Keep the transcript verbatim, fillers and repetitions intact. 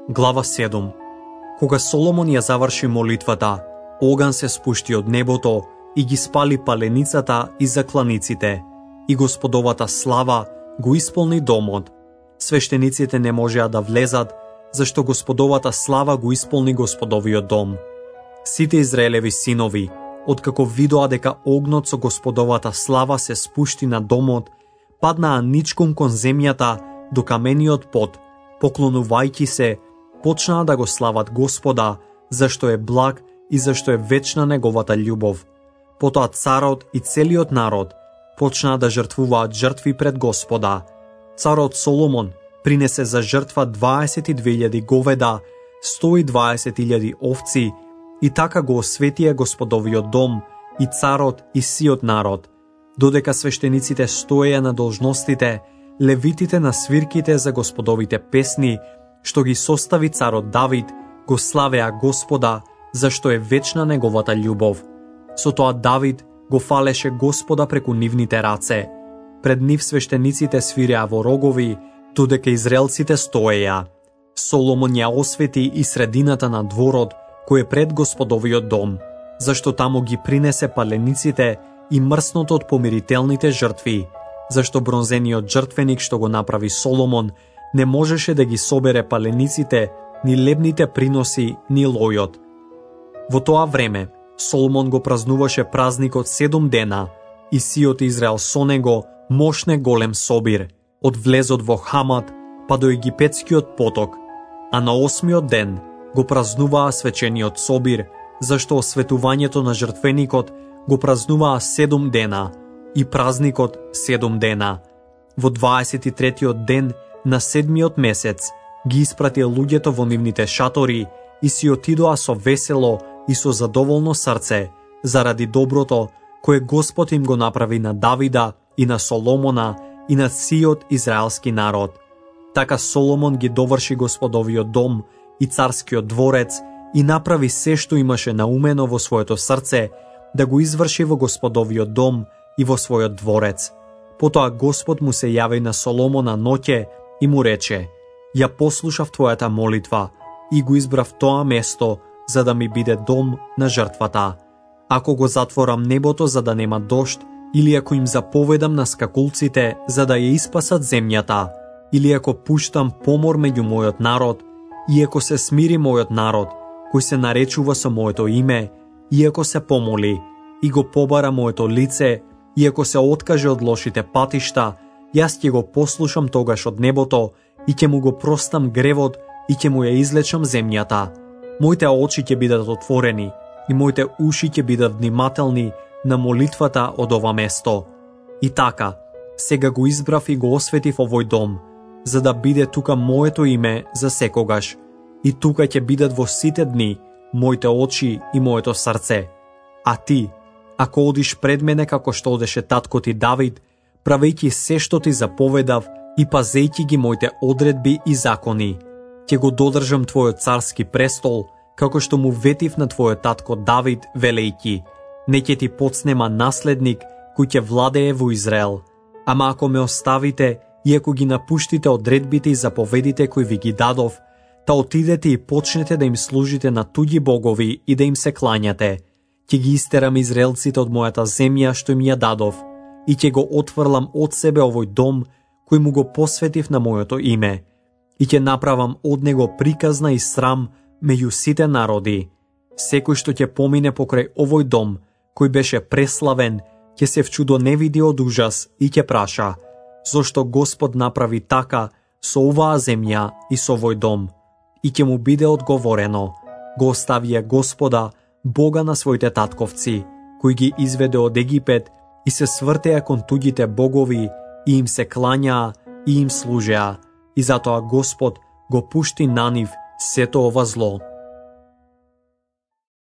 Глава седум. Кога Соломон ја заврши молитвата, оган се спушти од небото и ги спали паленицата и закланиците, и Господовата слава го исполни домот. Свештениците не можеа да влезат, зашто Господовата слава го исполни Господовиот дом. Сите Израелеви синови, откако видоа дека огнот со Господовата слава се спушти на домот, паднаа ничком кон земјата до камениот под, поклонувајќи се, почнаа да го слават Господа, зашто е благ и зашто е вечна неговата љубов. Потоа царот и целиот народ почнаа да жртвуваат жртви пред Господа. Царот Соломон принесе за жртва дваесет и две илјади говеда, сто и дваесет илјади овци, и така го осветија Господовиот дом, и царот и сиот народ. Додека свештениците стоеја на должностите, левитите на свирките за Господовите песни, што ги состави царот Давид, го славеа Господа, зашто е вечна неговата љубов. Со тоа Давид го фалеше Господа преку нивните раце. Пред нив свештениците свиреа во рогови, додека израелците стоеја. Соломон ја освети и средината на дворот, кој е пред Господовиот дом, зашто таму ги принесе палениците и мрсното од помирителните жртви, зашто бронзениот жртвеник што го направи Соломон не можеше да ги собере палениците, ни лебните приноси, ни лојот. Во тоа време Соломон го празнуваше празникот седум дена, и сиот Израел со него мошне голем собир, од влезот во Хамат па до египетскиот поток, а на осмиот ден го празнуваа свечениот собир, зашто осветувањето на жртвеникот го празнуваа седум дена и празникот седум дена. Во дваесет и третиот ден на седмиот месец ги испратија луѓето во нивните шатори и си отидоа со весело и со задоволно срце, заради доброто кое Господ им го направи на Давида и на Соломона и на сиот израелски народ. Така Соломон ги доврши Господовиот дом и царскиот дворец и направи се што имаше наумено во своето срце да го изврши во Господовиот дом и во својот дворец. Потоа Господ му се јави на Соломона ноќе и му рече: ја послушав твојата молитва и го избрав тоа место за да ми биде дом на жртвата. Ако го затворам небото за да нема дожд, или ако им заповедам на скакулците за да ја испасат земјата, или ако пуштам помор меѓу мојот народ, и ако се смири мојот народ, кој се наречува со моето име, и ако се помоли, и го побара моето лице, и ако се откаже од лошите патишта, јас ќе го послушам тогаш од небото и ќе му го простам гревот и ќе му ја излечам земјата. Моите очи ќе бидат отворени и моите уши ќе бидат внимателни на молитвата од ова место. И така, сега го избрав и го осветив овој дом, за да биде тука моето име за секогаш. И тука ќе бидат во сите дни моите очи и моето срце. А ти, ако одиш пред мене како што одеше татко ти Давид, правејќи се што ти заповедав и пазејќи ги моите одредби и закони, ќе го додржам твојот царски престол, како што му ветив на твојот татко Давид, велејќи: не ќе ти подснема наследник кој ќе владее во Израел. Ама ако ме оставите и ако ги напуштите одредбите и заповедите кои ви ги дадов, та отидете и почнете да им служите на туѓи богови и да им се клањате, ќе ги истерам израелците од мојата земја што им ја дадов, и ќе го отврлам од себе овој дом кој му го посветив на моето име, и ќе направам од него приказна и срам меѓу сите народи. Секој што ќе помине покрај овој дом, кој беше преславен, ќе се вчудоневиди од ужас и ќе праша: зошто Господ направи така со оваа земја и со овој дом? И ќе му биде одговорено: го оставија Господа, Бога на своите татковци, кој ги изведе од Египет, и се свртеа кон туѓите богови и им се клањаа и им служеа, и затоа Господ го пушти на нив сето ова зло.